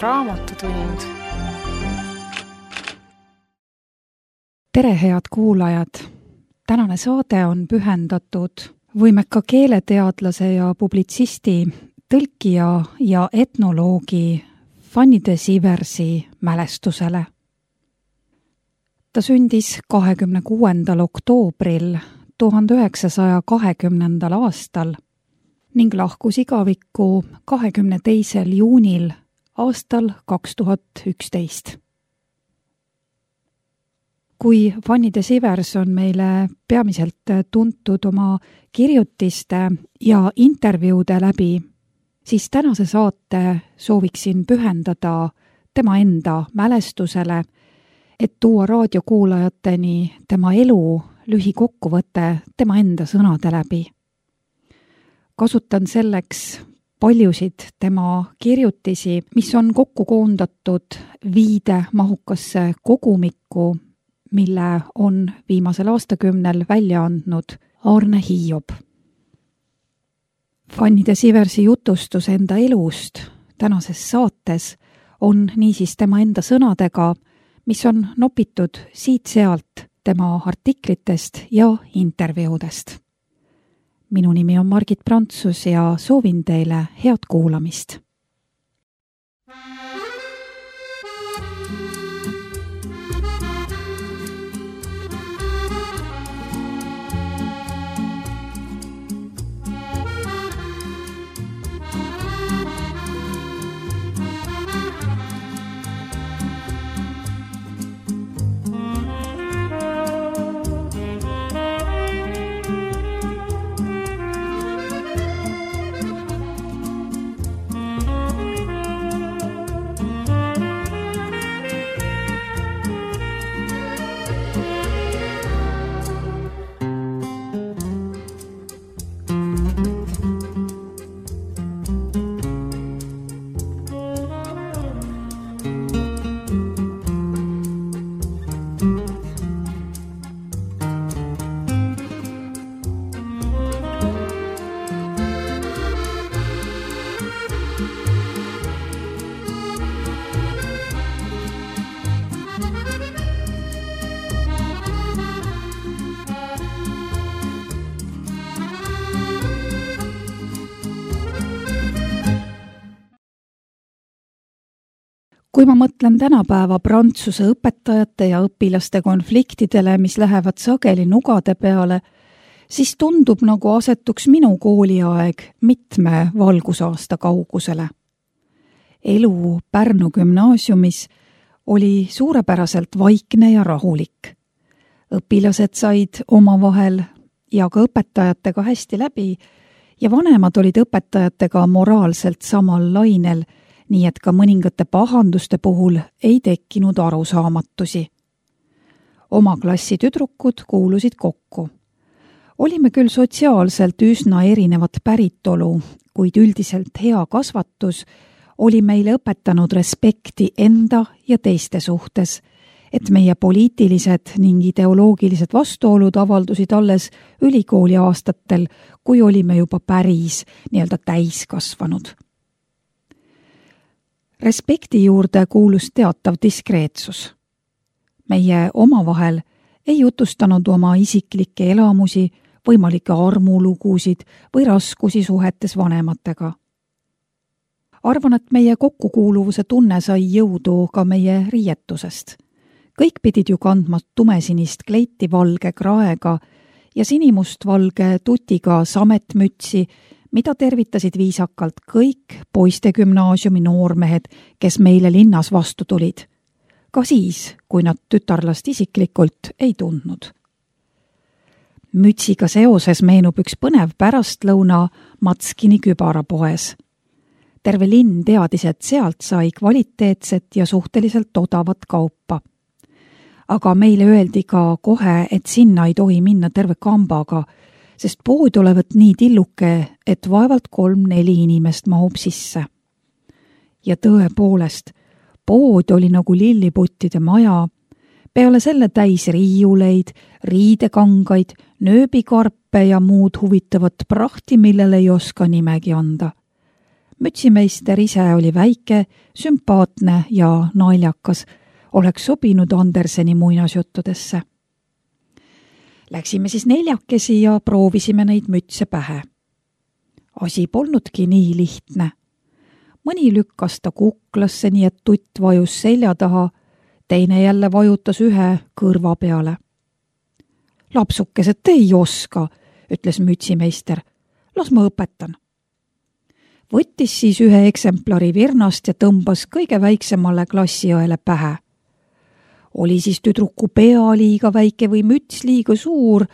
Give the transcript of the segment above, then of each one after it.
Raamatutund. Tere, head kuulajad! Tänane saade on pühendatud võimeka keeleteadlase ja publitsisti, tõlkija ja etnoloogi Fanny de Siversi mälestusele. Ta sündis 26. oktoobril 1920. aastal ning lahkus igavikku 22. juunil aastal 2011. Kui Fanny de Sivers on meile peamiselt tuntud oma kirjutiste ja intervjuude läbi, siis tänase saate sooviksin pühendada tema enda mälestusele, et tuua raadiokuulajateni tema elu lühikokkuvõte tema enda sõnade läbi. Kasutan selleks paljusid tema kirjutisi, mis on kokku koondatud viide mahukasse kogumikku, mille on viimasel aastakümnel välja andnud Aarne Hiob. Fanny de Siversi jutustus enda elust tänases saates on niisiis tema enda sõnadega, mis on nopitud siit-sealt tema artiklitest ja intervjuudest. Minu nimi on Margit Prantsus ja soovin teile head kuulamist. Kui ma mõtlen tänapäeva prantsuse õpetajate ja õpilaste konfliktidele, mis lähevad sageli nugade peale, siis tundub, nagu asetuks minu kooliaeg mitme valgusaasta kaugusele. Elu Pärnu gümnaasiumis oli suurepäraselt vaikne ja rahulik. Õpilased said omavahel ja ka õpetajatega hästi läbi ja vanemad olid õpetajatega moraalselt samal lainel, nii et ka mõningate pahanduste puhul ei tekkinud arusaamatusi. Oma klassi tüdrukud kuulusid kokku. Olime küll sotsiaalselt üsna erinevat päritolu, kuid üldiselt hea kasvatus oli meile õpetanud respekti enda ja teiste suhtes, et meie poliitilised ning ideoloogilised vastuolud avaldusid alles ülikooli aastatel, kui olime juba päris täiskasvanud. Respekti juurde kuulus teatav diskreetsus. Meie omavahel ei jutustanud oma isiklikke elamusi, võimalikke armulugusid või raskusi suhetes vanematega. Arvan, et meie kokkukuuluvuse tunne sai jõudu ka meie riietusest. Kõik pidid ju kandma tumesinist kleiti valge kraega ja sinimustvalge tutiga sametmütsi, mida tervitasid viisakalt kõik poistegümnaasiumi noormehed, kes meile linnas vastu tulid. Ka siis, kui nad tütarlast isiklikult ei tundnud. Mütsiga seoses meenub üks põnev pärastlõuna Matskini kübarapoes. Terve linn teadis, et sealt sai kvaliteetset ja suhteliselt odavat kaupa. Aga meile öeldi ka kohe, et sinna ei tohi minna terve kambaga, sest pood olevat nii tilluke, et vaevalt 3-4 inimest mahub sisse. Ja tõepoolest, pood oli nagu lilliputtide maja, peale selle täis riiuleid, riidekangaid, nööbikarpe ja muud huvitavat prahti, millele ei oska nimegi anda. mütsimeister ise oli väike, sümpaatne ja naljakas, oleks sobinud Anderseni muinasjuttudesse. Läksime siis neljakesi ja proovisime neid mütse pähe. Asi polnudki nii lihtne. Mõni lükkas ta kuklasse, nii et tutt vajus selja taha, teine jälle vajutas ühe kõrva peale. Lapsukesed, te ei oska, ütles mütsimeister. Las ma õpetan. Võttis siis ühe eksemplari virnast ja tõmbas kõige väiksemale klassiõele pähe. Oli siis tüdruku pea liiga väike või müts liiga suur,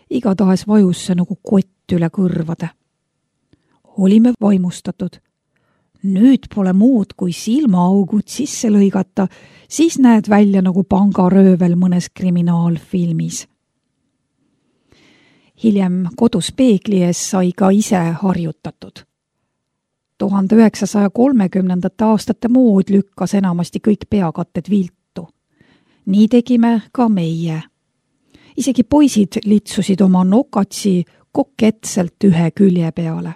igatahes vajus see nagu kott üle kõrvade. Olime vaimustatud. Nüüd pole muud kui silmaaugud sisse lõigata, siis näed välja nagu pangaröövel mõnes kriminaalfilmis. Hiljem kodus peegli ees sai ka ise harjutatud. 1930. aastate mood lükkas enamasti kõik peakatted viltu. Nii tegime ka meie. Isegi poisid litsusid oma nokatsi koketselt ühe külje peale.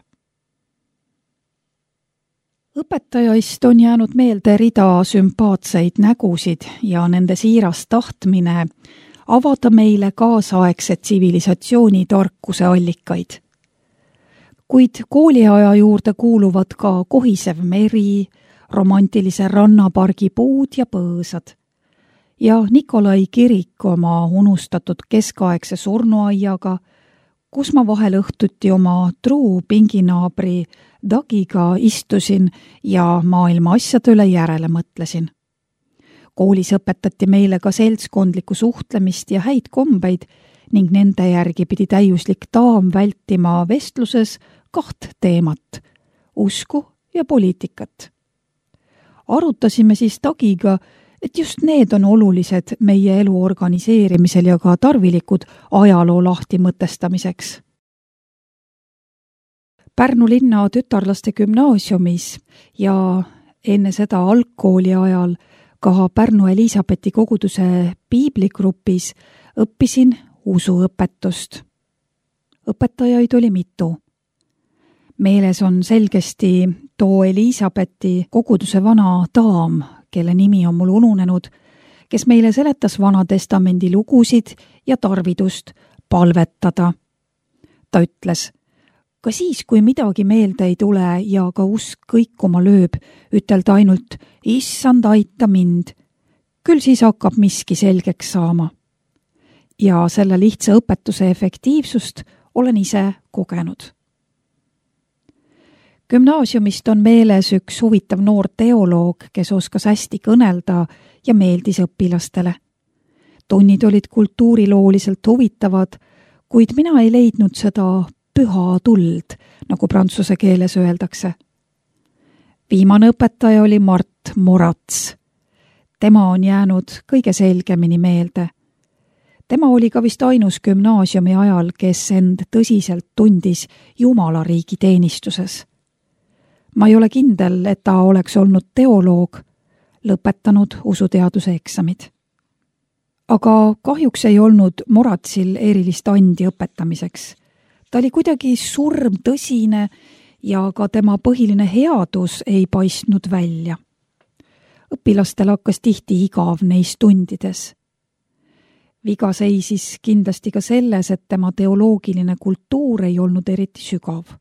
Õpetajaist on jäänud meelde rida sümpaatseid nägusid ja nende siiras tahtmine avada meile kaasaegse tsivilisatsiooni tarkuse allikaid. Kuid kooliaja juurde kuuluvad ka kohisev meri, romantilise rannapargi puud ja põõsad. Ja Nikolai kirik oma unustatud keskaegse surnuaiaga, kus ma vahel õhtuti oma truu pinginaabri Dagiga istusin ja maailma asjade üle järele mõtlesin. Koolis õpetati meile ka seltskondlikku suhtlemist ja häid kombeid ning nende järgi pidi täiuslik daam vältima vestluses 2 teemat, usku ja poliitikat. Arutasime siis Dagiga, et just need on olulised meie elu organiseerimisel ja ka tarvilikud ajaloo lahti mõtestamiseks. Pärnu linna tütarlaste gümnaasiumis ja enne seda algkooli ajal ka Pärnu Elisabethi koguduse piibligrupis õppisin usuõpetust. Õpetajaid oli mitu. Meeles on selgesti too Elisabethi koguduse vana daam, kelle nimi on mul ununenud, kes meile seletas Vana Testamendi lugusid ja tarvidust palvetada. Ta ütles, ka siis, kui midagi meelde ei tule ja ka usk kõikuma lööb, ütelda ainult, issand, aita mind. Küll siis hakkab miski selgeks saama. Ja selle lihtsa õpetuse efektiivsust olen ise kogenud. Gümnaasiumist on meeles üks huvitav noor teoloog, kes oskas hästi kõnelda ja meeldis õpilastele. Tunnid olid kultuurilooliselt huvitavad, kuid mina ei leidnud seda püha tuld, nagu prantsuse keeles öeldakse. Viimane õpetaja oli Mart Morats. Tema on jäänud kõige selgemini meelde. Tema oli ka vist ainus gümnaasiumi ajal, kes end tõsiselt tundis Jumala riigi teenistuses. Ma ei ole kindel, et ta oleks olnud teoloog, lõpetanud usuteaduse eksamid. Aga kahjuks ei olnud Moratsil erilist andi õpetamiseks. Ta oli kuidagi surmtõsine ja ka tema põhiline headus ei paistnud välja. Õpilastel hakkas tihti igav neis tundides. Viga seisis kindlasti ka selles, et tema teoloogiline kultuur ei olnud eriti sügav.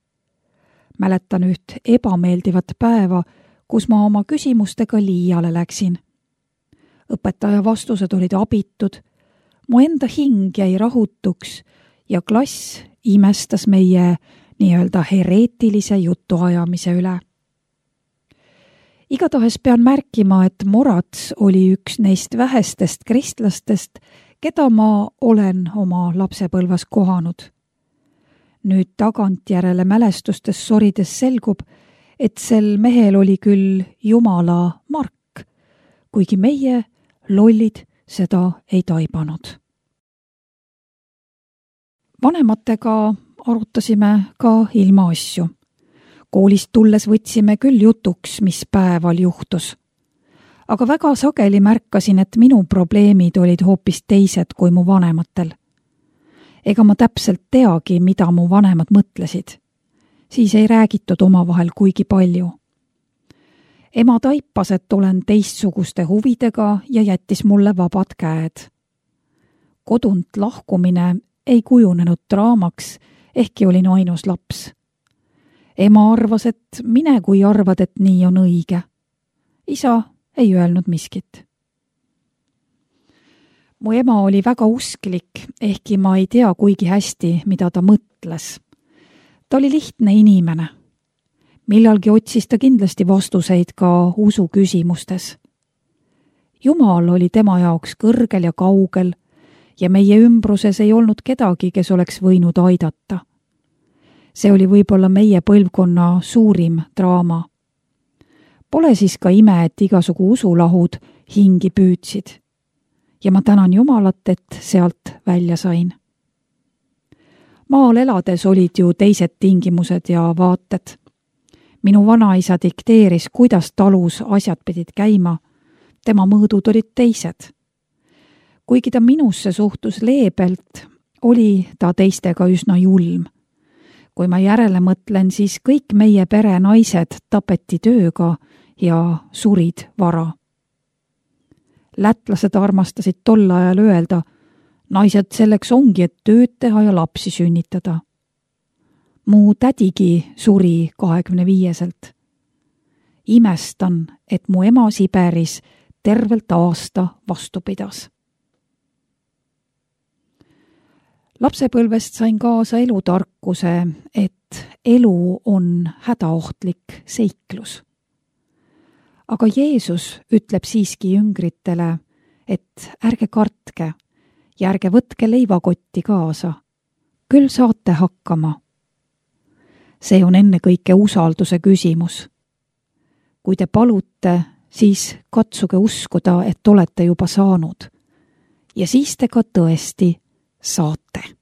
Mäletan üht ebameeldivat päeva, kus ma oma küsimustega liiale läksin. Õpetaja vastused olid abitud, mu enda hing jäi rahutuks ja klass imestas meie nii-öelda hereetilise jutuajamise üle. Igatahes pean märkima, et Morats oli üks neist vähestest kristlastest, keda ma olen oma lapsepõlves kohanud. Nüüd tagantjärele mälestustes sorides selgub, et sel mehel oli küll Jumala mark, kuigi meie, lollid, seda ei taibanud. Vanematega arutasime ka ilmaasju. Koolist tulles võtsime küll jutuks, mis päeval juhtus. Aga väga sageli märkasin, et minu probleemid olid hoopis teised kui mu vanematel. Ega ma täpselt teagi, mida mu vanemad mõtlesid. Siis ei räägitud omavahel kuigi palju. Ema taipas, et olen teistsuguste huvidega ja jättis mulle vabad käed. Kodunt lahkumine ei kujunenud draamaks, ehkki olin ainus laps. Ema arvas, et mine, kui arvad, et nii on õige. Isa ei öelnud miskit. Mu ema oli väga usklik, ehkki ma ei tea kuigi hästi, mida ta mõtles. Ta oli lihtne inimene. Millalgi otsis ta kindlasti vastuseid ka usu küsimustes. Jumal oli tema jaoks kõrgel ja kaugel ja meie ümbruses ei olnud kedagi, kes oleks võinud aidata. See oli võib-olla meie põlvkonna suurim draama. Pole siis ka ime, et igasugu usulahud hingi püüdsid. Ja ma tänan Jumalat, et sealt välja sain. Maal elades olid ju teised tingimused ja vaated. Minu vanaisa dikteeris, kuidas talus asjad pidid käima. Tema mõõdud olid teised. Kuigi ta minusse suhtus leebelt, oli ta teistega üsna julm. Kui ma järele mõtlen, siis kõik meie pere naised tapeti tööga ja surid vara. Lätlased armastasid tol ajal öelda, naised selleks ongi, et tööd teha ja lapsi sünnitada. Mu tädigi suri 25-selt. Imestan, et mu ema Siberis tervelt aasta vastu pidas. Lapsepõlvest sain kaasa elutarkuse, et elu on hädaohtlik seiklus. Aga Jeesus ütleb siiski jüngritele, et ärge kartke ja ärge võtke leivakotti kaasa. Küll saate hakkama. See on ennekõike usalduse küsimus. Kui te palute, siis katsuge uskuda, et olete juba saanud. Ja siis te ka tõesti saate.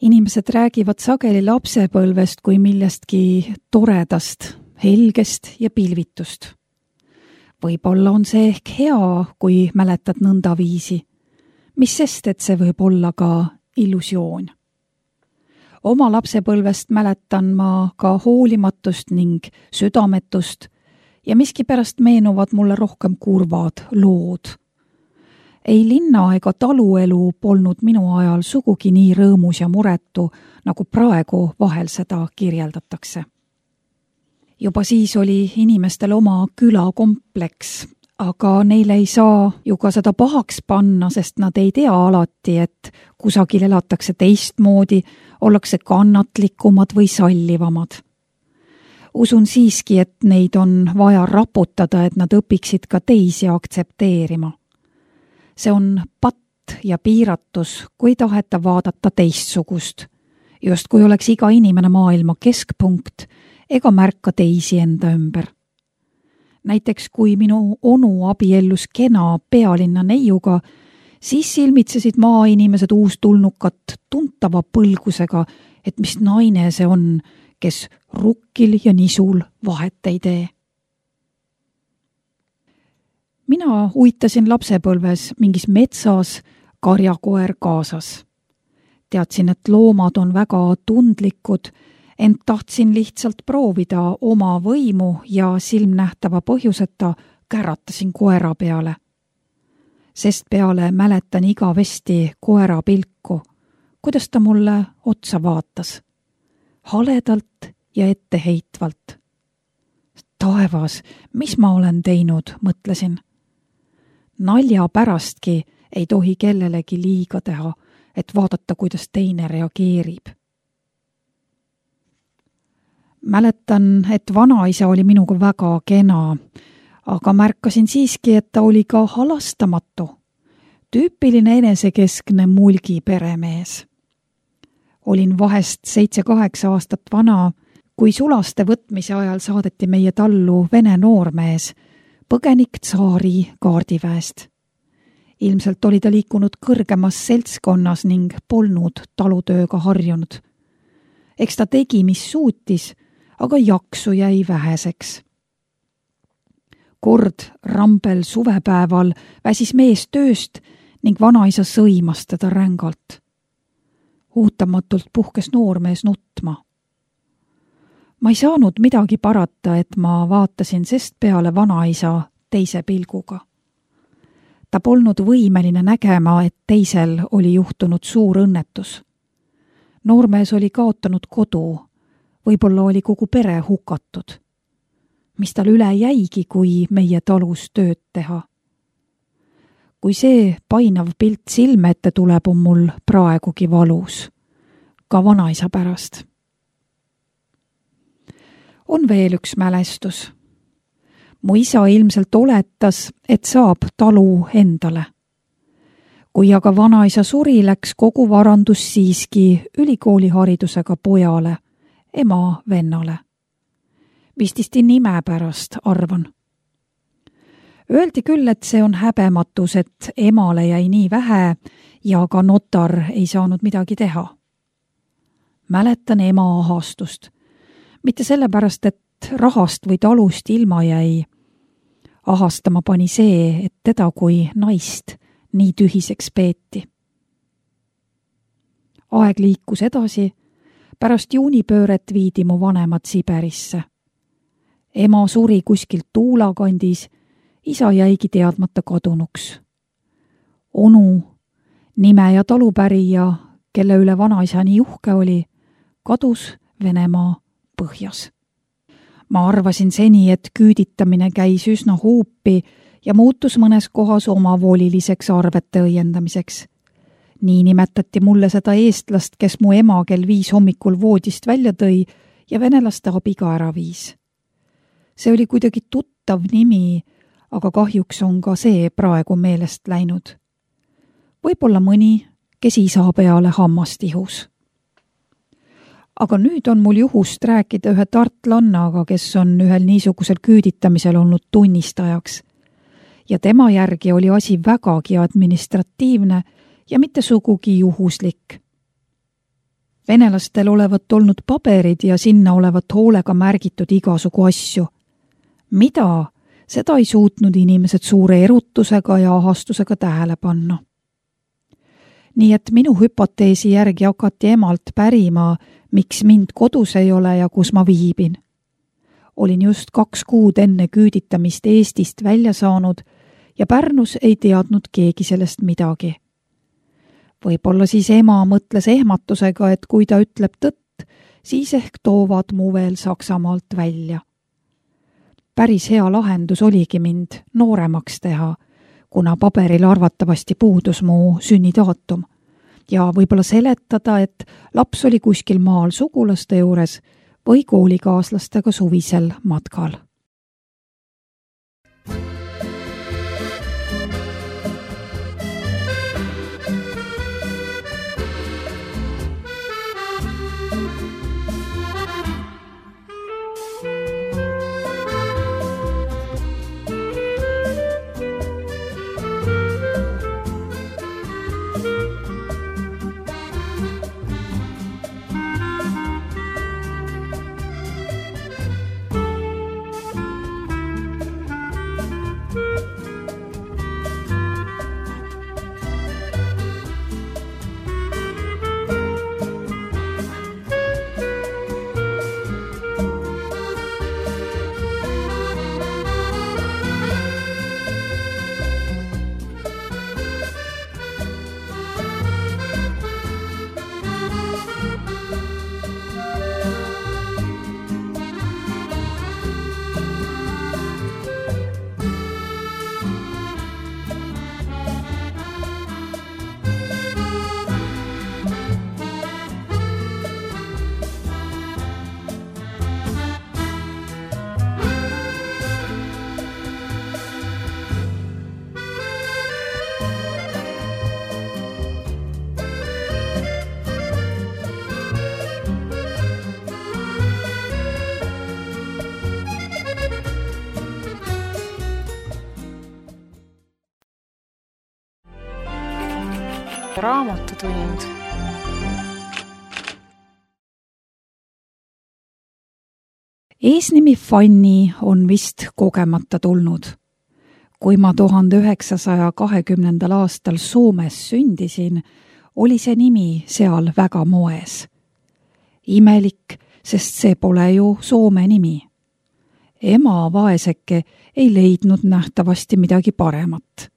Inimesed räägivad sageli lapsepõlvest kui millestki toredast, helgest ja pilvitust. Võib-olla on see ehk hea, kui mäletad nõnda viisi. Mis sest, et see võib olla ka illusioon. Oma lapsepõlvest mäletan ma ka hoolimatust ning südametust ja miskipärast meenuvad mulle rohkem kurvad lood. Ei linna ega taluelu polnud minu ajal sugugi nii rõõmus ja muretu, nagu praegu vahel seda kirjeldatakse. Juba siis oli inimestel oma külakompleks, aga neile ei saa ju ka seda pahaks panna, sest nad ei tea alati, et kusagil elatakse teistmoodi, ollakse kannatlikumad või sallivamad. Usun siiski, et neid on vaja raputada, et nad õpiksid ka teisi aktsepteerima. See on patt ja piiratus, kui taheta vaadata teistsugust. Just kui oleks iga inimene maailma keskpunkt ega märka teisi enda ümber. Näiteks kui minu onu abiellus kena pealinna neiuga, siis silmitsesid maainimesed uustulnukat tuntava põlgusega, et mis naine see on, kes rukkil ja nisul vahet ei tee. Mina uitasin lapsepõlves mingis metsas karjakoer kaasas. Teadsin, et loomad on väga tundlikud, ent tahtsin lihtsalt proovida oma võimu ja silmnähtava põhjuseta käratasin koera peale. Sest peale mäletan igavesti koera pilku, kuidas ta mulle otsa vaatas. Haledalt ja etteheitvalt. Taevas, mis ma olen teinud, mõtlesin. Nalja pärastki ei tohi kellelegi liiga teha, et vaadata, kuidas teine reageerib. Mäletan, et vanaisa oli minuga väga kena, aga märkasin siiski, et ta oli ka halastamatu. Tüüpiline enesekeskne mulgi peremees. Olin vahest 7-8 aastat vana, kui sulaste võtmise ajal saadeti meie tallu vene noormees, põgenik tsaari kaardiväest. Ilmselt oli ta liikunud kõrgemas seltskonnas ning polnud talutööga harjunud. Eks ta tegi, mis suutis, aga jaksu jäi väheseks. Kord rambel suvepäeval väsis mees tööst ning vanaisa sõimas teda rängalt. Ootamatult puhkes noormees nutma. Ma ei saanud midagi parata, et ma vaatasin sest peale vanaisa teise pilguga. Ta polnud võimeline nägema, et teisel oli juhtunud suur õnnetus. Noormees oli kaotanud kodu, võib-olla oli kogu pere hukatud. Mis tal üle jäigi, kui meie talus tööd teha? Kui see painav pilt silme ette tuleb, on mul praegugi valus. Ka vanaisa pärast. On veel üks mälestus. Mu isa ilmselt oletas, et saab talu endale. Kui aga vanaisa suri, läks kogu varandus siiski ülikooliharidusega pojale, ema vennale. Vististi nime pärast, arvan. Öeldi küll, et see on häbematus, et emale jäi nii vähe ja ka notar ei saanud midagi teha. Mäletan ema ahastust. Mitte sellepärast, et rahast või talust ilma jäi. Ahastama pani see, et teda kui naist nii tühiseks peeti. Aeg liikus edasi. Pärast juunipööret viidi mu vanemad Siberisse. Ema suri kuskil Tuula kandis, isa jäigi teadmata kadunuks. Onu, nime ja talupärija, kelle üle vanaisa nii uhke oli, kadus Venemaa põhjas. Ma arvasin seni, et küüditamine käis üsna huupi ja muutus mõnes kohas omavoliliseks arvete õiendamiseks. Nii nimetati mulle seda eestlast, kes mu ema kell 5 hommikul voodist välja tõi ja venelaste abiga ära viis. See oli kuidagi tuttav nimi, aga kahjuks on ka see praegu meelest läinud. Võib-olla mõni, kes isa peale hammast ihus. Aga nüüd on mul juhust rääkida ühe tartlannaga, kes on ühel niisugusel küüditamisel olnud tunnistajaks. Ja tema järgi oli asi vägagi administratiivne ja mitte sugugi juhuslik. Venelastel olevat olnud paberid ja sinna olevat hoolega märgitud igasugu asju. Mida? Seda ei suutnud inimesed suure erutusega ja ahastusega tähele panna. Nii et minu hüpoteesi järgi hakati emalt pärima, miks mind kodus ei ole ja kus ma viibin. Olin just 2 kuud enne küüditamist Eestist välja saanud ja Pärnus ei teadnud keegi sellest midagi. Võib-olla siis ema mõtles ehmatusega, et kui ta ütleb tõtt, siis ehk toovad mu veel Saksamaalt välja. Päris hea lahendus oligi mind nooremaks teha, kuna paberil arvatavasti puudus mu sünnidaatum ja võib-olla seletada, et laps oli kuskil maal sugulaste juures või koolikaaslastega suvisel matkal. Raamatutund. Eesnimi Fanny on vist kogemata tulnud. Kui ma 1920. aastal Soomes sündisin, oli see nimi seal väga moes. Imelik, sest see pole ju Soome nimi. Ema vaeseke ei leidnud nähtavasti midagi paremat.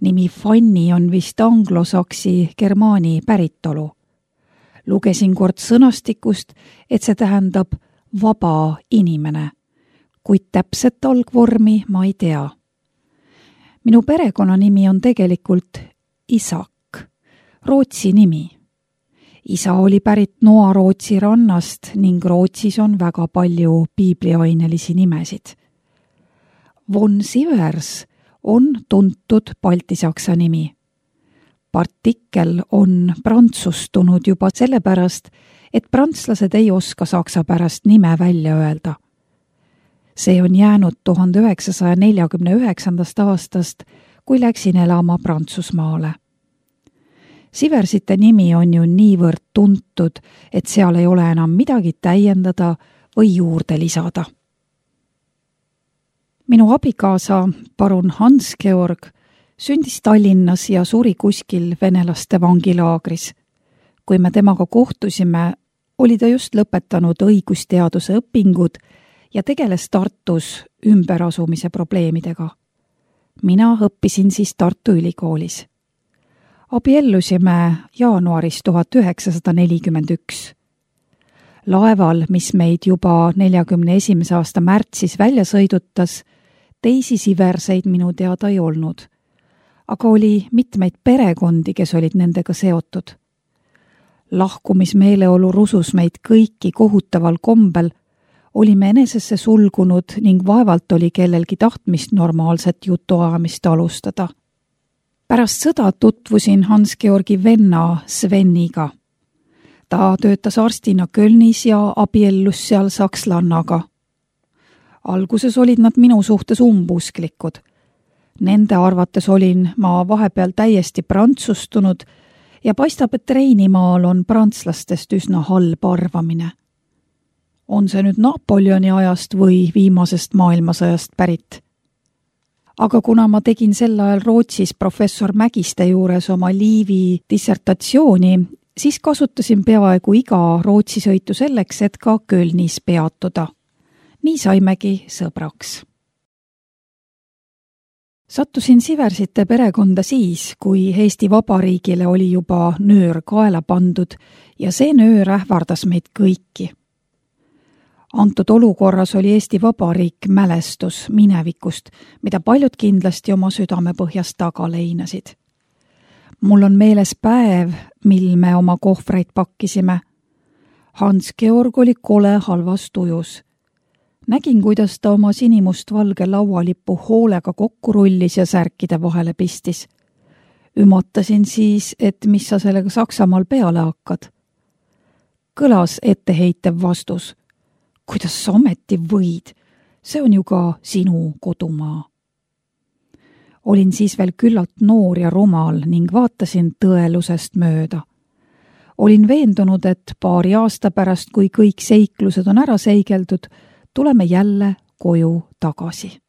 Nimi Fanny on vist anglosaksi germaani päritolu. Lugesin kord sõnastikust, et see tähendab vaba inimene, kuid täpset algvormi ma ei tea. Minu perekonnanimi on tegelikult Isak, Rootsi nimi. Isa oli pärit Noa-Rootsi rannast ning Rootsis on väga palju piibliainelisi nimesid. Von Sivers on tuntud baltisaksa nimi. Partikel on prantsustunud juba sellepärast, et prantslased ei oska saksa pärast nime välja öelda. See on jäänud 1949. aastast, kui läksin elama Prantsusmaale. Siversite nimi on ju niivõrd tuntud, et seal ei ole enam midagi täiendada või juurde lisada. Minu abikaasa, parun Hans-Georg, sündis Tallinnas ja suri kuskil venelaste vangilaagris. Kui me temaga kohtusime, oli ta just lõpetanud õigusteaduse õpingud ja tegeles Tartus ümberasumise probleemidega. Mina õppisin siis Tartu Ülikoolis. Abiellusime jaanuaris 1941. Laeval, mis meid juba 41. aasta märtsis välja sõidutas, teisi Siverseid minu teada ei olnud, aga oli mitmeid perekondi, kes olid nendega seotud. Lahkumismeeleolu rusus meid kõiki kohutaval kombel, olime enesesse sulgunud ning vaevalt oli kellelgi tahtmist normaalset jutuajamist alustada. Pärast sõda tutvusin Hans-Georgi venna Sveniga. Ta töötas arstina Kölnis ja abiellus seal sakslannaga. Alguses olid nad minu suhtes umbusklikud. Nende arvates olin ma vahepeal täiesti prantsustunud ja paistab, et Reinimaal on prantslastest üsna halb arvamine. On see nüüd Napoleoni ajast või viimasest maailmasõjast pärit? Aga kuna ma tegin sel ajal Rootsis professor Mägiste juures oma liivi dissertatsiooni, siis kasutasin peaaegu iga Rootsi sõitu selleks, et ka Kölnis peatuda. Nii saimegi sõbraks. Sattusin Siversite perekonda siis, kui Eesti Vabariigile oli juba nöör kaela pandud ja see nöör ähvardas meid kõiki. Antud olukorras oli Eesti Vabariik mälestus minevikust, mida paljud kindlasti oma südamepõhjas taga leinasid. Mul on meeles päev, mil me oma kohvreid pakkisime. Hans-Georg oli kole halvas tujus. Nägin, kuidas ta oma sinimustvalge laualippu hoolega kokku rullis ja särkide vahele pistis. Ümatasin siis, et mis sa sellega Saksamaal peale hakkad. Kõlas etteheitev vastus. Kuidas sa ometi võid? See on ju ka sinu kodumaa. Olin siis veel küllalt noor ja rumal ning vaatasin tõelusest mööda. Olin veendunud, et paari aasta pärast, kui kõik seiklused on ära seigeldud, tuleme jälle koju tagasi.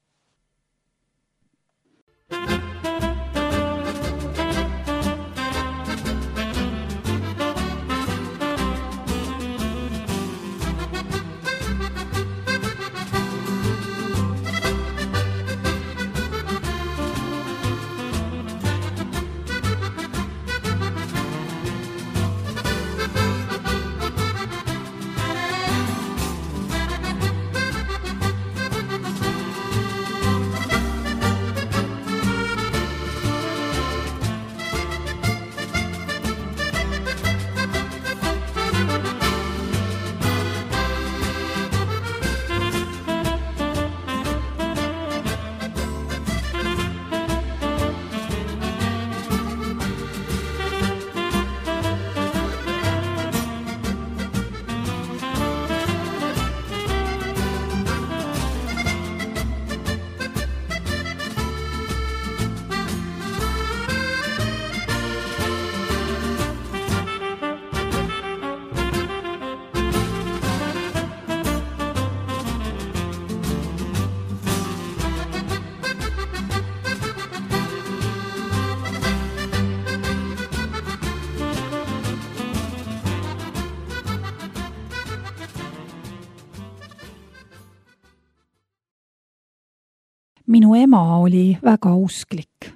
Minu ema oli väga usklik.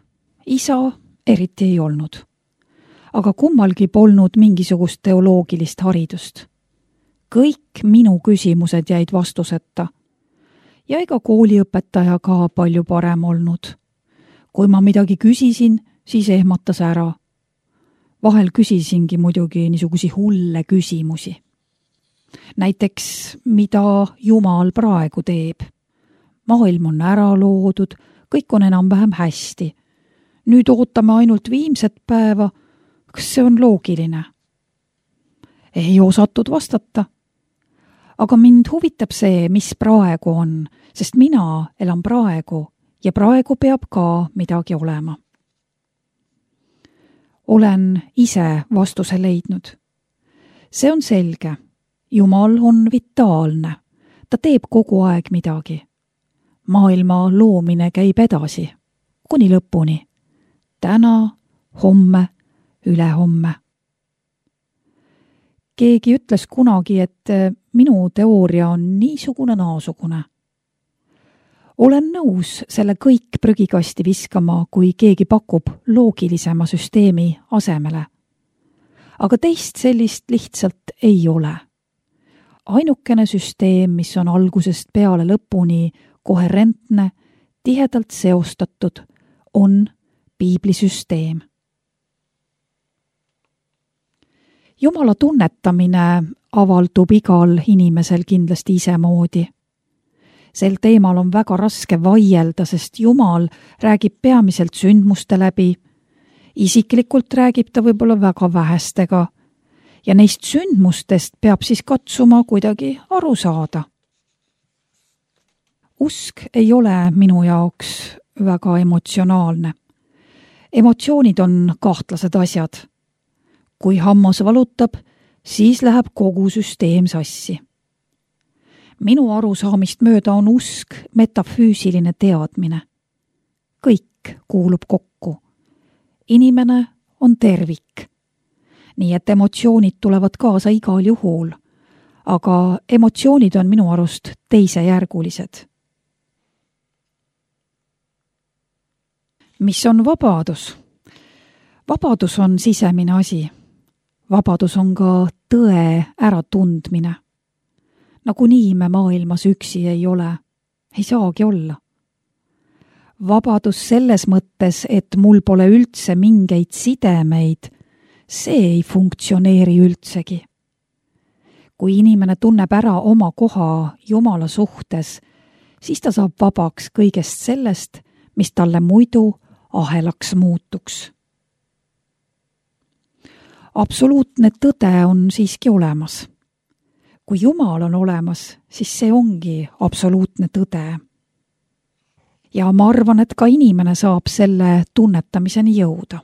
Isa eriti ei olnud. Aga kummalgi polnud mingisugust teoloogilist haridust. Kõik minu küsimused jäid vastuseta. Ja ega kooliõpetaja ka palju parem olnud. Kui ma midagi küsisin, siis ehmatas ära. Vahel küsisingi muidugi niisugusi hulle küsimusi. Näiteks, mida Jumal praegu teeb? Maailm on ära loodud, kõik on enam-vähem hästi. Nüüd ootame ainult viimset päeva. Kas see on loogiline? Ei osatud vastata. Aga mind huvitab see, mis praegu on, sest mina elan praegu ja praegu peab ka midagi olema. Olen ise vastuse leidnud. See on selge. Jumal on vitaalne. Ta teeb kogu aeg midagi. Maailma loomine käib edasi, kuni lõpuni. Täna, homme, ülehomme. Keegi ütles kunagi, et minu teooria on niisugune naasugune. Olen nõus selle kõik prügikasti viskama, kui keegi pakub loogilisema süsteemi asemele. Aga teist sellist lihtsalt ei ole. Ainukene süsteem, mis on algusest peale lõpuni koherentne, tihedalt seostatud, on piiblisüsteem. Jumala tunnetamine avaldub igal inimesel kindlasti isemoodi. Sel teemal on väga raske vaielda, sest Jumal räägib peamiselt sündmuste läbi. Isiklikult räägib ta võib-olla väga vähestega ja neist sündmustest peab siis katsuma kuidagi aru saada. Usk ei ole minu jaoks väga emotsionaalne. Emotsioonid on kahtlased asjad. Kui hammas valutab, siis läheb kogu süsteem sassi. Minu arusaamist mööda on usk metafüüsiline teadmine. Kõik kuulub kokku. Inimene on tervik. Nii et emotsioonid tulevad kaasa igal juhul, aga emotsioonid on minu arust teisejärgulised. Mis on vabadus? Vabadus on sisemine asi. Vabadus on ka tõe äratundmine. Nagunii me maailmas üksi ei ole. Ei saagi olla. Vabadus selles mõttes, et mul pole üldse mingeid sidemeid, see ei funktsioneeri üldsegi. kui inimene tunneb ära oma koha Jumala suhtes, siis ta saab vabaks kõigest sellest, mis talle muidu ahelaks muutuks. Absoluutne tõde on siiski olemas. Kui Jumal on olemas, siis see ongi absoluutne tõde. Ja ma arvan, et ka inimene saab selle tunnetamiseni jõuda.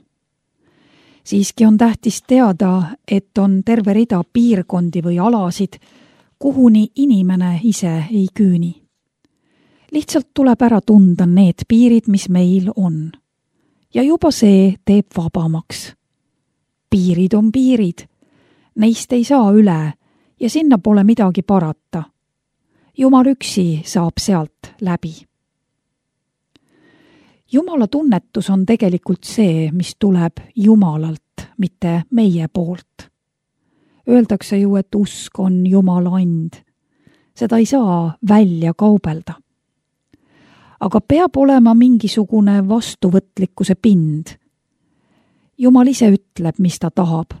Siiski on tähtis teada, et on terve rida piirkondi või alasid, kuhuni inimene ise ei küüni. Lihtsalt tuleb ära tunda need piirid, mis meil on. Ja juba see teeb vabamaks. Piirid on piirid. Neist ei saa üle ja sinna pole midagi parata. Jumal üksi saab sealt läbi. Jumala tunnetus on tegelikult see, mis tuleb Jumalalt, mitte meie poolt. Öeldakse ju, et usk on Jumala and. Seda ei saa välja kaubelda. Aga peab olema mingisugune vastuvõtlikkuse pind. Jumal ise ütleb, mis ta tahab.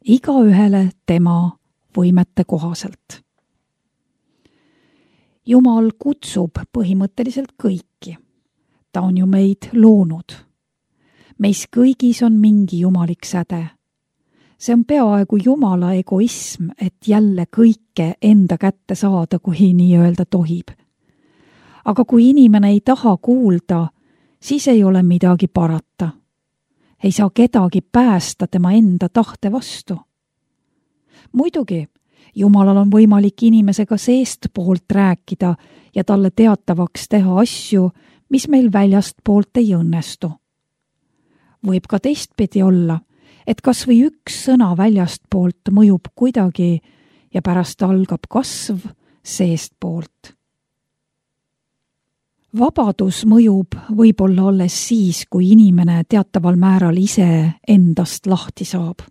Igaühele tema võimete kohaselt. Jumal kutsub põhimõtteliselt kõiki. Ta on ju meid loonud. Meis kõigis on mingi jumalik säde. See on peaaegu Jumala egoism, et jälle kõike enda kätte saada, kui nii öelda tohib. Aga kui inimene ei taha kuulda, siis ei ole midagi parata. Ei saa kedagi päästa tema enda tahte vastu. Muidugi, Jumalal on võimalik inimesega seestpoolt rääkida ja talle teatavaks teha asju, mis meil väljast poolt ei õnnestu. Võib ka teistpidi olla, et kas või üks sõna väljast poolt mõjub kuidagi ja pärast algab kasv seestpoolt. Vabadus mõjub võib-olla alles siis, kui inimene teataval määral ise endast lahti saab.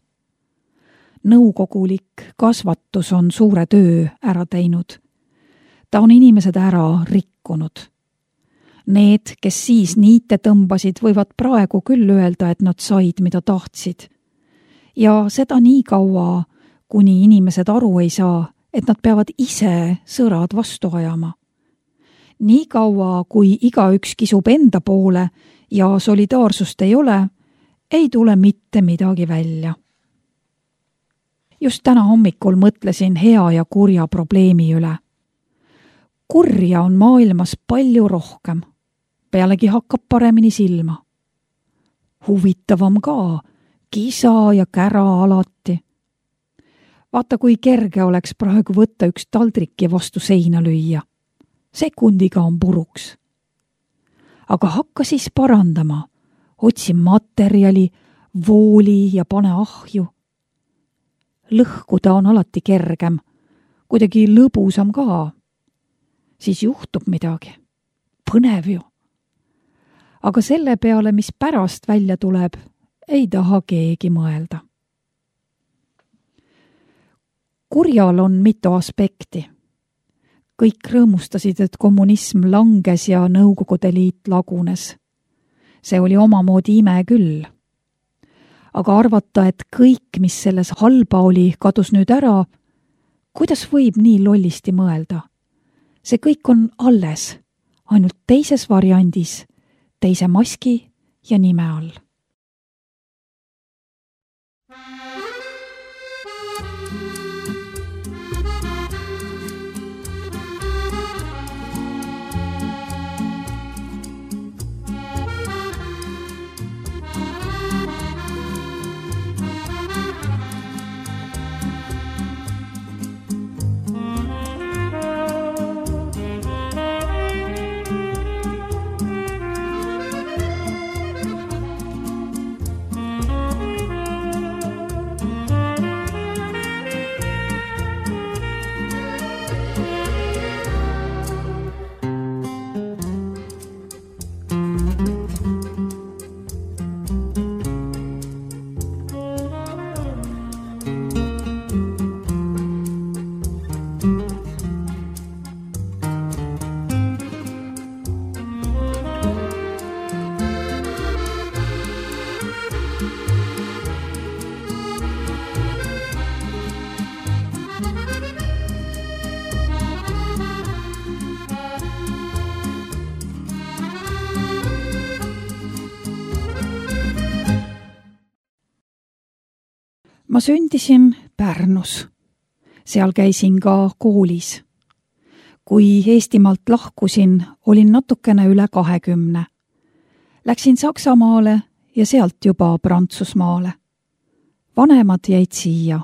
Nõukogulik kasvatus on suure töö ära teinud. Ta on inimesed ära rikkunud. Need, kes siis niite tõmbasid, võivad praegu küll öelda, et nad said, mida tahtsid. Ja seda nii kaua, kuni inimesed aru ei saa, et nad peavad ise sõrad vastu ajama. Nii kaua, kui igaüks kisub enda poole ja solidaarsust ei ole, ei tule mitte midagi välja. Just täna hommikul mõtlesin hea ja kurja probleemi üle. Kurja on maailmas palju rohkem. Pealegi hakkab paremini silma. Huvitavam ka, kisa ja kära alati. Vaata, kui kerge oleks praegu võtta üks taldrik ja vastu seina lüüa. Sekundiga on puruks. Aga hakka siis parandama. Otsi materjali, vooli ja pane ahju. Lõhkuda on alati kergem, kuidagi lõbusam ka. Siis juhtub midagi. Põnev ju. Aga selle peale, mis pärast välja tuleb, ei taha keegi mõelda. Kurjal on mitu aspekti. Kõik rõõmustasid, et kommunism langes ja Nõukogude Liit lagunes. See oli omamoodi ime küll. Aga arvata, et kõik, mis selles halba oli, kadus nüüd ära, kuidas võib nii lollisti mõelda? See kõik on alles, ainult teises variandis, teise maski ja nime all. Ma sündisin Pärnus. Seal käisin ka koolis. Kui Eestimaalt lahkusin, olin natukene üle 20. Läksin Saksamaale ja sealt juba Prantsusmaale. Vanemad jäid siia.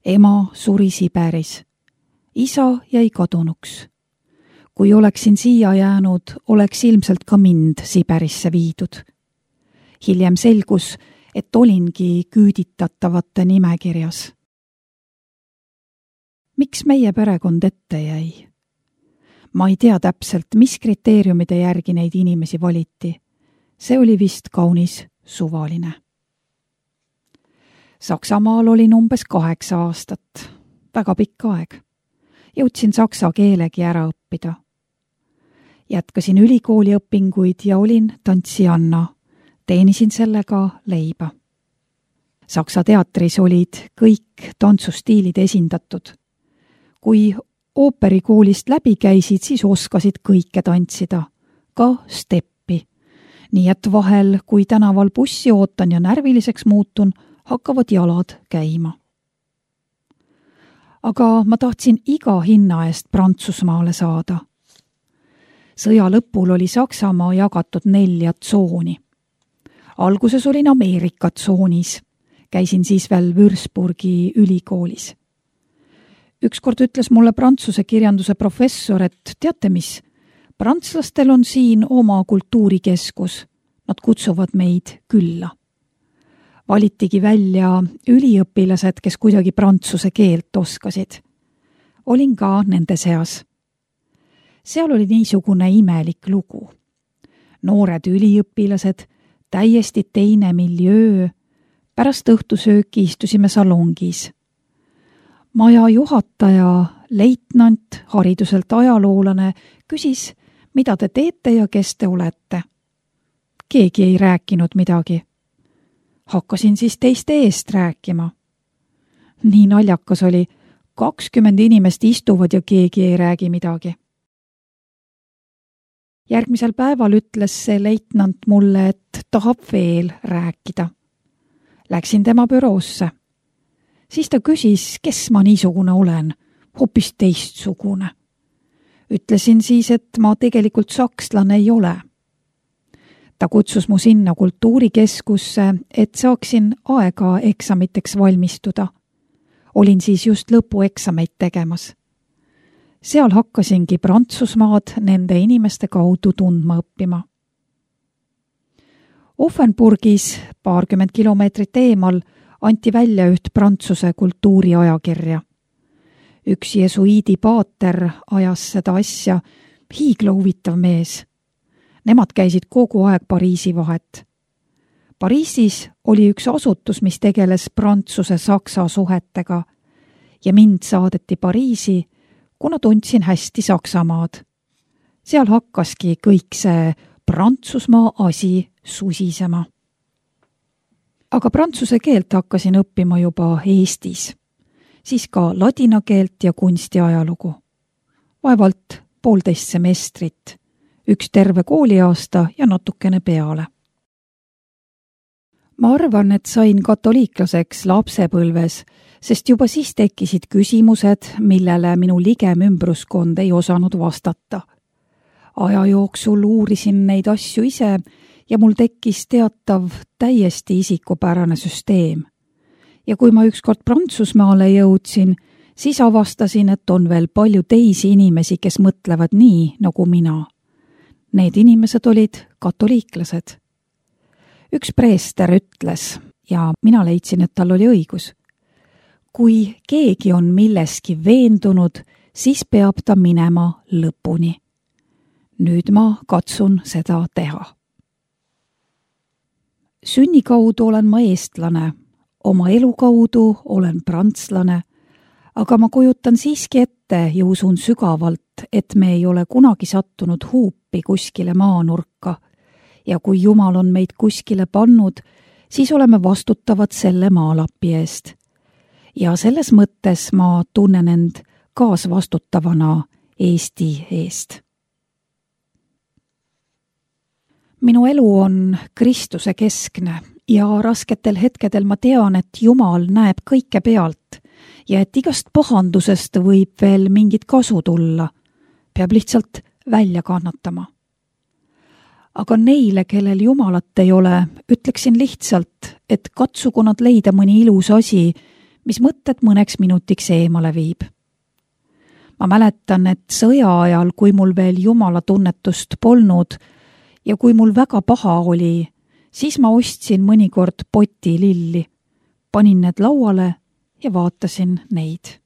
Ema suri Siberis. Isa jäi kadunuks. Kui oleksin siia jäänud, oleks ilmselt ka mind Siberisse viidud. Hiljem selgus, et olingi küüditatavate nimekirjas. Miks meie perekond ette jäi? Ma ei tea täpselt, mis kriteeriumide järgi neid inimesi valiti. See oli vist kaunis suvaline. Saksamaal olin umbes 8 aastat. Väga pikk aeg. Jõudsin saksa keelegi ära õppida. Jätkasin ülikooli õpinguid ja olin tantsijanna. Teenisin sellega leiba. Saksa teatris olid kõik tantsustiilid esindatud. Kui ooperikoolist läbi käisid, siis oskasid kõike tantsida, ka steppi. Nii et vahel, kui tänaval bussi ootan ja närviliseks muutun, hakkavad jalad käima. Aga ma tahtsin iga hinna eest Prantsusmaale saada. Sõja lõpul oli Saksamaa jagatud 4 tsooni. Alguses olin Ameerika tsoonis. Käisin siis veel Würzburgi ülikoolis. Ükskord ütles mulle prantsuse kirjanduse professor, et teate mis, prantslastel on siin oma kultuurikeskus. Nad kutsuvad meid külla. Valitigi välja üliõpilased, kes kuidagi prantsuse keelt oskasid. Olin ka nende seas. Seal oli niisugune imelik lugu. Noored üliõpilased, täiesti teine miljöö. Pärast õhtusööki istusime salongis. Maja juhataja, leitnant, hariduselt ajaloolane, küsis, mida te teete ja kes te olete. Keegi ei rääkinud midagi. Hakkasin siis teiste eest rääkima. Nii naljakas oli, 20 inimest istuvad ja keegi ei räägi midagi. Järgmisel päeval ütles see leitnant mulle, et tahab veel rääkida. Läksin tema büroosse. Siis ta küsis, kes ma niisugune olen, hoopis teistsugune. Ütlesin siis, et ma tegelikult sakslane ei ole. Ta kutsus mu sinna kultuurikeskusse, et saaksin aega eksamiteks valmistuda. Olin siis just lõpueksameid tegemas. Seal hakkasingi Prantsusmaad nende inimeste kaudu tundma õppima. Offenburgis 20 kilomeetrit eemal anti välja üht prantsuse kultuuriajakirja. Üks jesuiidi paater ajas seda asja, hiigla huvitav mees. Nemad käisid kogu aeg Pariisi vahet. Pariisis oli üks asutus, mis tegeles Prantsuse-Saksa suhetega ja mind saadeti Pariisi, kuna tundsin hästi Saksamaad. Seal hakkaski kõik see Prantsusmaa asi susisema. Aga prantsuse keelt hakkasin õppima juba Eestis, siis ka ladina keelt ja kunstiajalugu. Vaevalt 1,5 semestrit, üks terve kooliaasta ja natukene peale. Ma arvan, et sain katoliiklaseks lapsepõlves, sest juba siis tekkisid küsimused, millele minu ligem ümbruskond ei osanud vastata. Aja jooksul uurisin neid asju ise ja mul tekkis teatav täiesti isikupärane süsteem. Ja kui ma ükskord Prantsusmaale jõudsin, siis avastasin, et on veel palju teisi inimesi, kes mõtlevad nii nagu mina. Need inimesed olid katoliiklased. Üks preester ütles, ja mina leidsin, et tal oli õigus. Kui keegi on milleski veendunud, siis peab ta minema lõpuni. Nüüd ma katsun seda teha. Sünni kaudu olen ma eestlane, oma elu kaudu olen prantslane, aga ma kujutan siiski ette ja usun sügavalt, et me ei ole kunagi sattunud huupi kuskile maanurka ja kui Jumal on meid kuskile pannud, siis oleme vastutavad selle maalapi eest. Ja selles mõttes ma tunnen end kaasvastutavana Eesti eest. Minu elu on Kristuse keskne ja rasketel hetkedel ma tean, et Jumal näeb kõike pealt ja et igast pahandusest võib veel mingit kasu tulla. Peab lihtsalt välja kannatama. Aga neile, kellel Jumalat ei ole, ütleksin lihtsalt, et katsugu nad leida mõni ilus asi, mis mõtted mõneks minutiks eemale viib. Ma mäletan, et sõja ajal, kui mul veel Jumala tunnetust polnud ja kui mul väga paha oli, siis ma ostsin mõnikord poti lilli, panin need lauale ja vaatasin neid.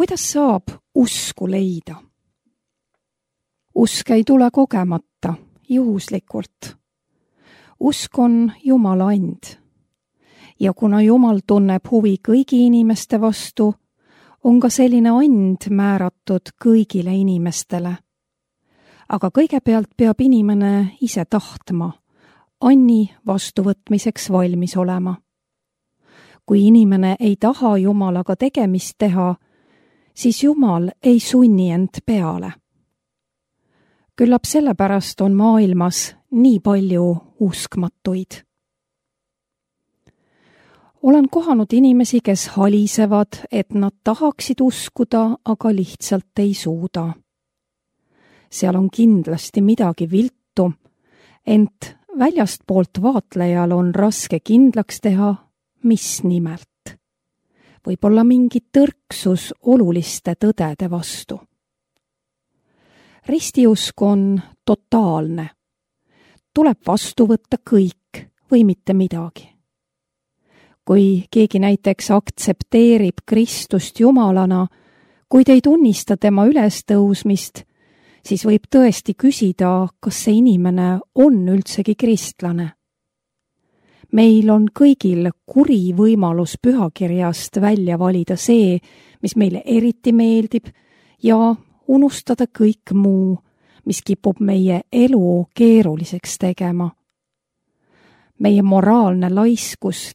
Kuidas saab usku leida? Usk ei tule kogemata, juhuslikult. Usk on Jumala and. Ja kuna Jumal tunneb huvi kõigi inimeste vastu, on ka selline and määratud kõigile inimestele. Aga kõigepealt peab inimene ise tahtma, anni vastuvõtmiseks valmis olema. Kui inimene ei taha Jumalaga tegemist teha, siis Jumal ei sunni end peale. Küllap sellepärast on maailmas nii palju uskmatuid. Olen kohanud inimesi, kes halisevad, et nad tahaksid uskuda, aga lihtsalt ei suuda. Seal on kindlasti midagi viltu, ent väljastpoolt vaatlejal on raske kindlaks teha, mis nimelt. Võib-olla mingi tõrksus oluliste tõdede vastu. Ristiusk on totaalne. Tuleb vastu võtta kõik või mitte midagi. Kui keegi näiteks aktsepteerib Kristust Jumalana, kuid ei tunnista tema ülestõusmist, siis võib tõesti küsida, kas see inimene on üldsegi kristlane. Meil on kõigil kuri võimalus pühakirjast välja valida see, mis meile eriti meeldib ja unustada kõik muu, mis kipub meie elu keeruliseks tegema. Meie moraalne laiskus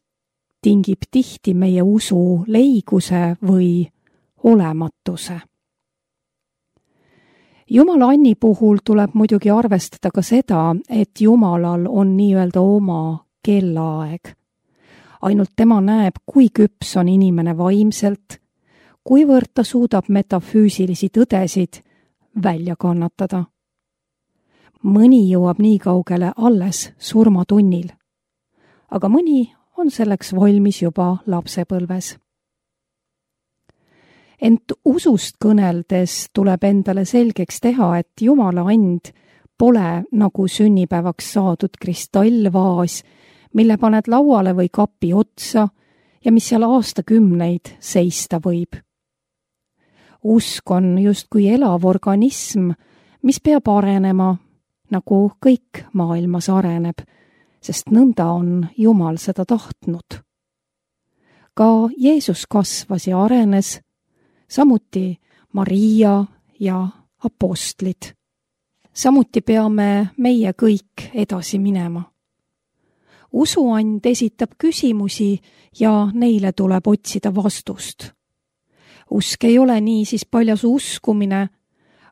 tingib tihti meie usu leiguse või olematuse. Jumala anni puhul tuleb muidugi arvestada ka seda, et Jumalal on nii-öelda oma kellaaeg. Ainult tema näeb, kui küps on inimene vaimselt, kuivõrd ta suudab metafüüsilisi tõdesid välja kannatada. Mõni jõuab nii kaugele alles surmatunnil, aga mõni on selleks valmis juba lapsepõlves. Ent usust kõneldes tuleb endale selgeks teha, et Jumala and pole nagu sünnipäevaks saadud kristallvaas, mille paned lauale või kapi otsa ja mis seal aastakümneid seista võib. Usk on justkui elav organism, mis peab arenema, nagu kõik maailmas areneb, sest nõnda on Jumal seda tahtnud. Ka Jeesus kasvas ja arenes, samuti Maria ja apostlid. Samuti peame meie kõik edasi minema. Usuand esitab küsimusi ja neile tuleb otsida vastust. Usk ei ole niisiis paljas uskumine,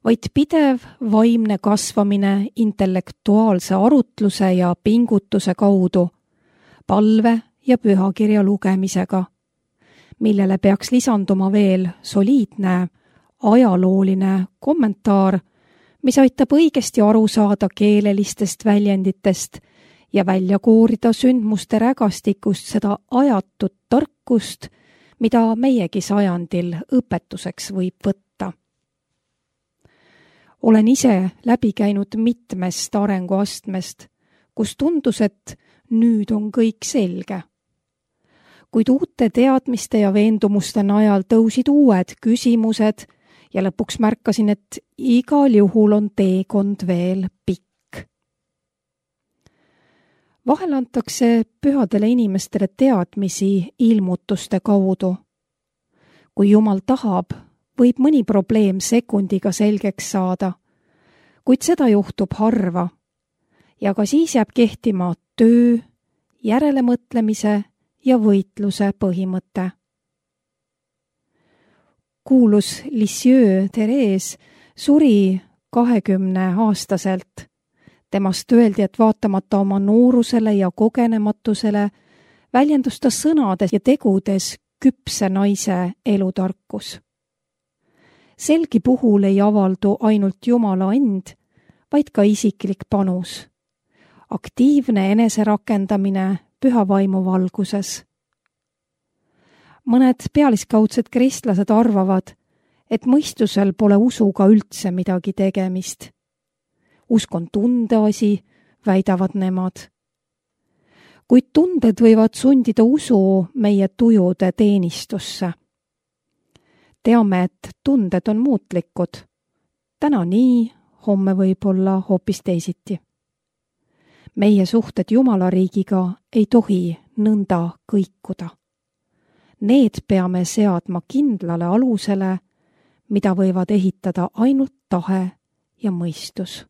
vaid pidev vaimne kasvamine intellektuaalse arutluse ja pingutuse kaudu, palve ja pühakirja lugemisega, millele peaks lisanduma veel soliidne ajalooline kommentaar, mis aitab õigesti aru saada keelelistest väljenditest ja välja koorida sündmuste rägastikust seda ajatut tarkust, mida meiegi sajandil õpetuseks võib võtta. Olen ise läbi käinud mitmest arenguastmest, kus tundus, et nüüd on kõik selge. Kuid uute teadmiste ja veendumuste najal tõusid uued küsimused ja lõpuks märkasin, et igal juhul on teekond veel pikk. Vahel antakse pühadele inimestele teadmisi ilmutuste kaudu. Kui Jumal tahab, võib mõni probleem sekundiga selgeks saada, kuid seda juhtub harva ja ka siis jääb kehtima töö, järelemõtlemise ja võitluse põhimõte. Kuulus Lisieux Therese suri 20-aastaselt. Temast öeldi, et vaatamata oma noorusele ja kogenematusele väljendus ta sõnades ja tegudes küpse naise elutarkus. Selgi puhul ei avaldu ainult Jumala and, vaid ka isiklik panus. Aktiivne eneserakendamine püha vaimu valguses. Mõned pealiskaudsed kristlased arvavad, et mõistusel pole usuga üldse midagi tegemist. Usk on tundeasi, väidavad nemad. Kuid tunded võivad sundida usu meie tujude teenistusse. Teame, et tunded on muutlikud. Täna nii, homme võib-olla hoopis teisiti. Meie suhted Jumala riigiga ei tohi nõnda kõikuda. Need peame seadma kindlale alusele, mida võivad ehitada ainult tahe ja mõistus.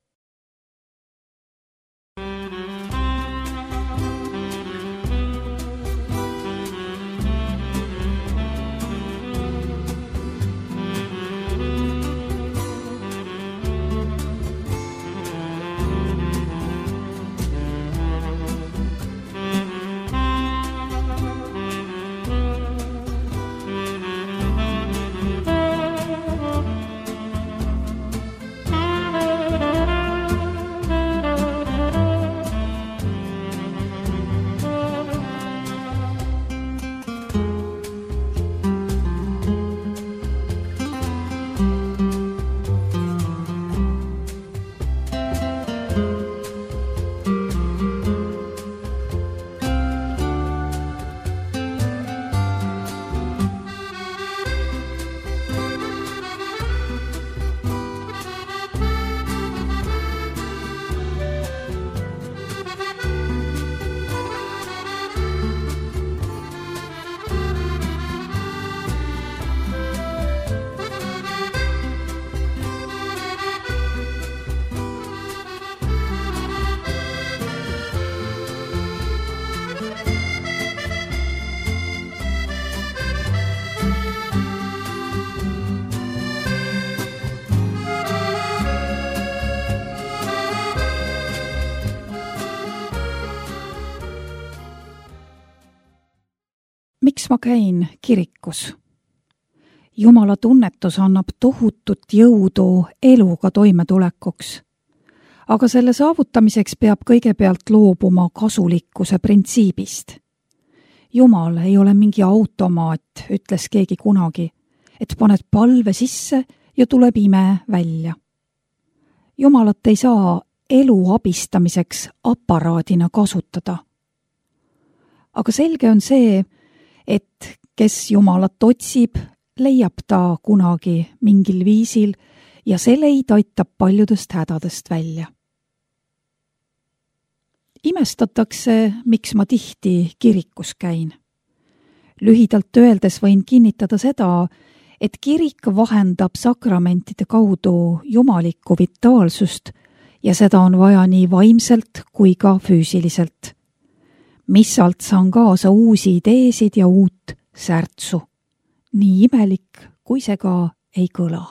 Miks ma käin kirikus? Jumala tunnetus annab tohutut jõudu eluga toimetulekuks. Aga selle saavutamiseks peab kõigepealt loobuma kasulikkuse printsiibist. Jumal ei ole mingi automaat, ütles keegi kunagi, et paned palve sisse ja tuleb ime välja. Jumalat ei saa elu abistamiseks aparaadina kasutada. Aga selge on see, et kes Jumalat otsib, leiab ta kunagi mingil viisil ja see leid aitab paljudest hädadest välja. Imestatakse, miks ma tihti kirikus käin. Lühidalt öeldes võin kinnitada seda, et kirik vahendab sakramentide kaudu jumalikku vitaalsust ja seda on vaja nii vaimselt kui ka füüsiliselt. Missalt saan kaasa uusi ideesid ja uut särtsu. Nii imelik, kui see ka ei kõla.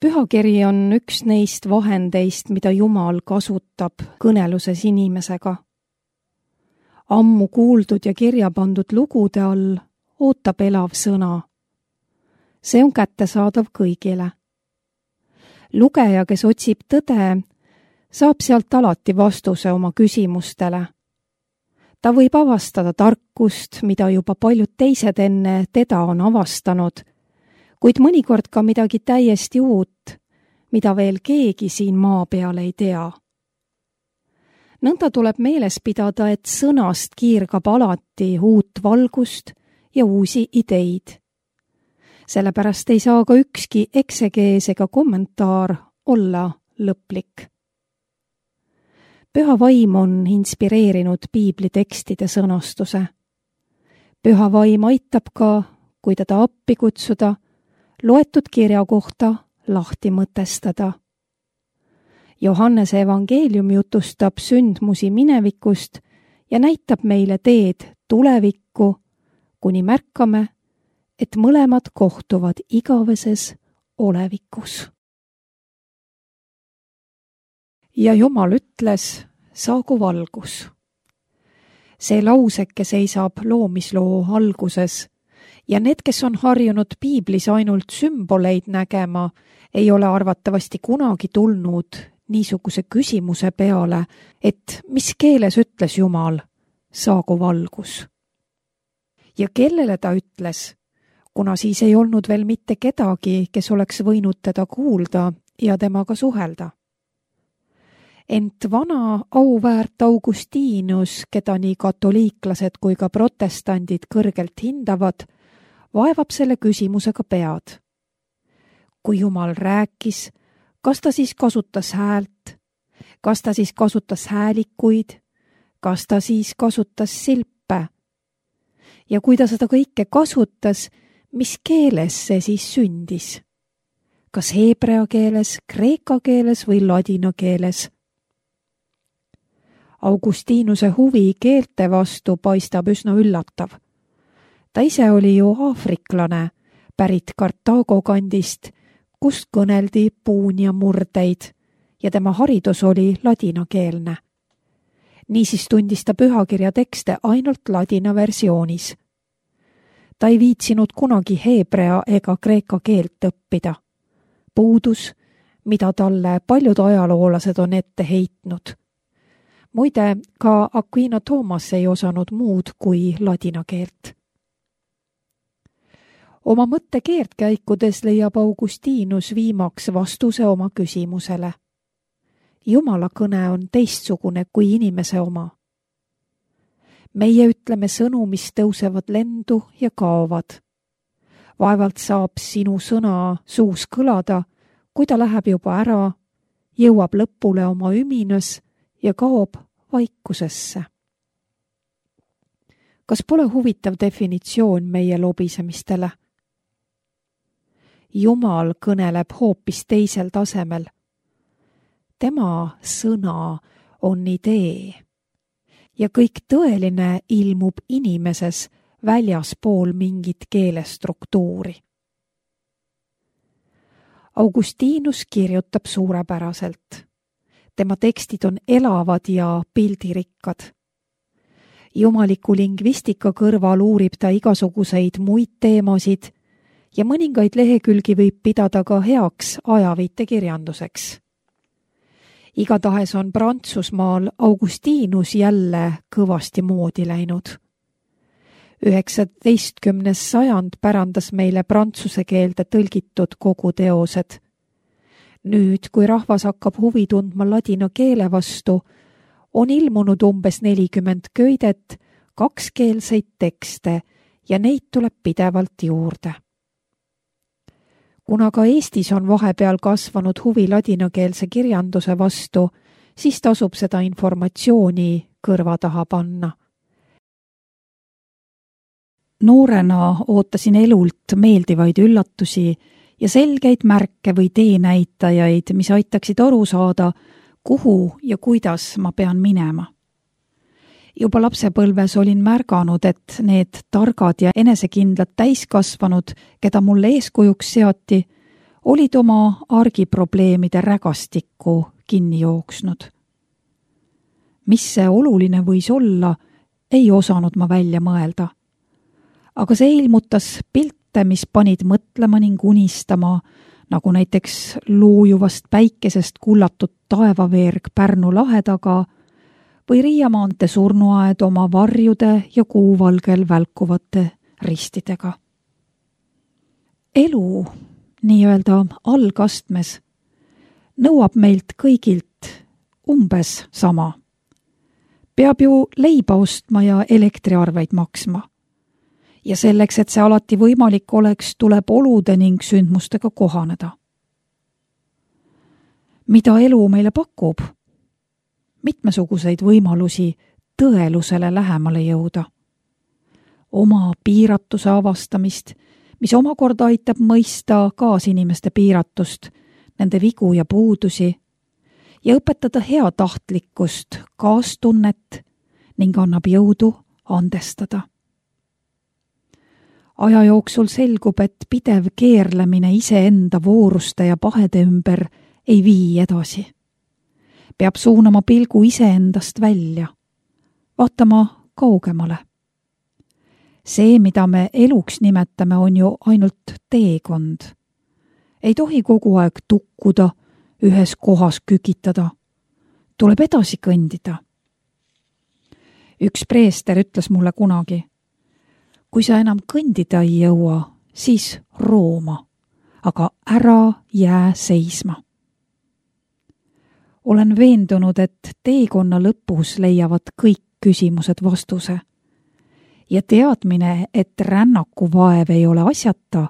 Pühakiri on üks neist vahendeist, mida Jumal kasutab kõneluses inimesega. Ammu kuuldud ja kirja pandud lugude all ootab elav sõna. See on kättesaadav kõigile. Lugeja, kes otsib tõde, saab sealt alati vastuse oma küsimustele. Ta võib avastada tarkust, mida juba paljud teised enne teda on avastanud, kuid mõnikord ka midagi täiesti uut, mida veel keegi siin maa peal ei tea. Nõnda tuleb meeles pidada, et sõnast kiirgab alati uut valgust ja uusi ideid. Sellepärast ei saa ka ükski eksegees ega kommentaar olla lõplik. Püha vaim on inspireerinud piiblitekstide sõnastuse. Püha vaim aitab ka, kui teda appi kutsuda, loetud kirja kohta lahti mõtestada. Johannese evangeelium jutustab sündmusi minevikust ja näitab meile teed tulevikku, kuni märkame, et mõlemad kohtuvad igaveses olevikus. Ja Jumal ütles, saagu valgus. See lauseke seisab loomisloo alguses ja need, kes on harjunud piiblis ainult sümboleid nägema, ei ole arvatavasti kunagi tulnud niisuguse küsimuse peale, et mis keeles ütles Jumal, saagu valgus. Ja kellele ta ütles, kuna siis ei olnud veel mitte kedagi, kes oleks võinud teda kuulda ja temaga suhelda. Ent vana auväärt Augustinus, keda nii katoliiklased kui ka protestandid kõrgelt hindavad, vaevab selle küsimusega pead. Kui Jumal rääkis, kas ta siis kasutas häält, kas ta siis kasutas häälikuid, kas ta siis kasutas silpe? Ja kui ta seda kõike kasutas, mis keeles see siis sündis? Kas heebrea keeles, kreeka keeles või ladina keeles? Augustinuse huvi keelte vastu paistab üsna üllatav. Ta ise oli ju aafriklane, pärit Kartaago kandist, kust kõneldi puunia murdeid ja tema haridus oli ladinakeelne. Niisiis tundis ta pühakirja tekste ainult ladina versioonis. Ta ei viitsinud kunagi heebrea ega kreeka keelt õppida. Puudus, mida talle paljud ajaloolased on ette heitnud. Muide, ka Aquino Thomas ei osanud muud kui ladina keelt. Oma mõttekeerdkäikudes leiab Augustinus viimaks vastuse oma küsimusele. Jumala kõne on teistsugune kui inimese oma. Meie ütleme sõnu, mis tõusevad lendu ja kaovad. Vaevalt saab sinu sõna suus kõlada, kui ta läheb juba ära, jõuab lõpule oma üminas ja kaob vaikusesse. Kas pole huvitav definitsioon meie lobisemistele? Jumal kõneleb hoopis teisel tasemel. Tema sõna on idee ja kõik tõeline ilmub inimeses väljaspool mingit keelestruktuuri. Augustinus kirjutab suurepäraselt. Tema tekstid on elavad ja pildirikkad. Jumaliku lingvistika kõrval uurib ta igasuguseid muid teemasid ja mõningaid lehekülgi võib pidada ka heaks ajaviitekirjanduseks. Igatahes on Prantsusmaal Augustinus jälle kõvasti moodi läinud. 19. sajand pärandas meile prantsuse keelde tõlgitud kogu teosed. Nüüd, kui rahvas hakkab huvi tundma ladina keele vastu, on ilmunud umbes 40 köidet, kakskeelseid tekste ja neid tuleb pidevalt juurde. Kuna ka Eestis on vahepeal kasvanud huvi ladinakeelse kirjanduse vastu, siis tasub seda informatsiooni kõrva taha panna. Noorena ootasin elult meeldivaid üllatusi ja selgeid märke või teenäitajaid, mis aitaksid aru saada, kuhu ja kuidas ma pean minema. Juba lapsepõlves olin märganud, et need targad ja enesekindlad täiskasvanud, keda mulle eeskujuks seati, olid oma argiprobleemide rägastikku kinni jooksnud. Mis see oluline võis olla, ei osanud ma välja mõelda. Aga see ilmutas pilte, mis panid mõtlema ning unistama, nagu näiteks loojuvast päikesest kullatud taevaveerg Pärnu lahe taga või Riia maantee surnuaed oma varjude ja kuuvalgel välkuvate ristidega. Elu, nii-öelda algastmes, nõuab meilt kõigilt umbes sama. Peab ju leiba ostma ja elektriarveid maksma. Ja selleks, et see alati võimalik oleks, tuleb olude ning sündmustega kohaneda. Mida elu meile pakub? Mitmesuguseid võimalusi tõelusele lähemale jõuda. Oma piiratuse avastamist, mis omakorda aitab mõista kaasinimeste piiratust, nende vigu ja puudusi ja õpetada heatahtlikkust, kaastunnet ning annab jõudu andestada. Aja jooksul selgub, et pidev keerlemine iseenda vooruste ja pahede ümber ei vii edasi. Peab suunama pilgu iseendast välja, vaatama kaugemale. See, mida me eluks nimetame, on ju ainult teekond. Ei tohi kogu aeg tukkuda, ühes kohas kükitada. Tuleb edasi kõndida. Üks preester ütles mulle kunagi, kui sa enam kõndida ei jõua, siis rooma, aga ära jää seisma. Olen veendunud, et teekonna lõpus leiavad kõik küsimused vastuse. Ja teadmine, et rännaku vaev ei ole asjata,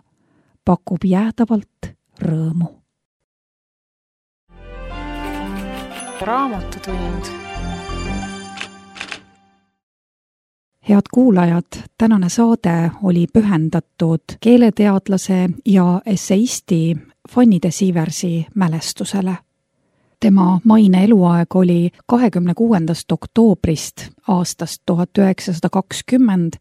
pakub jäädavalt rõõmu. Raamatutund. Head kuulajad, tänane saade oli pühendatud keeleteadlase ja esseisti Fanny de Sieversi mälestusele. Tema maine eluaeg oli 26. oktoobrist aastast 1920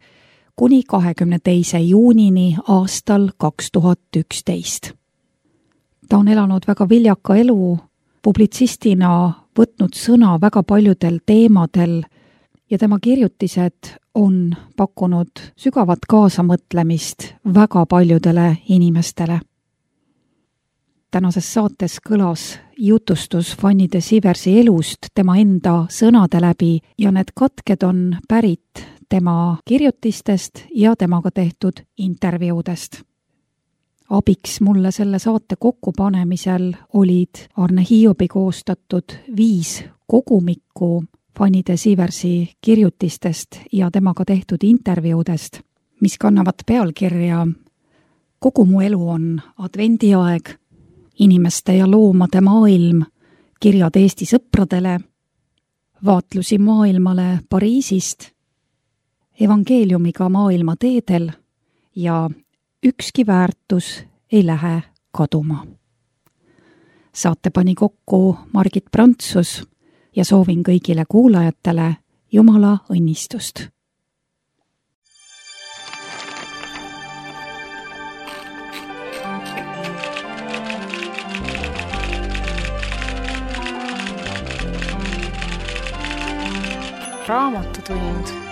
kuni 22. juunini aastal 2011. Ta on elanud väga viljaka elu, publitsistina võtnud sõna väga paljudel teemadel ja tema kirjutised on pakkunud sügavat kaasamõtlemist väga paljudele inimestele. Tänases saates kõlas jutustus Fanny de Sieversi elust tema enda sõnade läbi ja need katked on pärit tema kirjutistest ja temaga tehtud intervjuudest. Abiks mulle selle saate kokkupanemisel olid Arne Hiobi koostatud 5 kogumikku Fanny de Sieversi kirjutistest ja temaga tehtud intervjuudest, mis kannavad pealkirja Kogu mu elu on advendiaeg, inimeste ja loomade maailm, kirjad Eesti sõpradele, vaatlusi maailmale Pariisist, evangeeliumiga maailma teedel ja ükski väärtus ei lähe kaduma. Saate pani kokku Margit Prantsus ja soovin kõigile kuulajatele Jumala õnnistust. Raamatutund.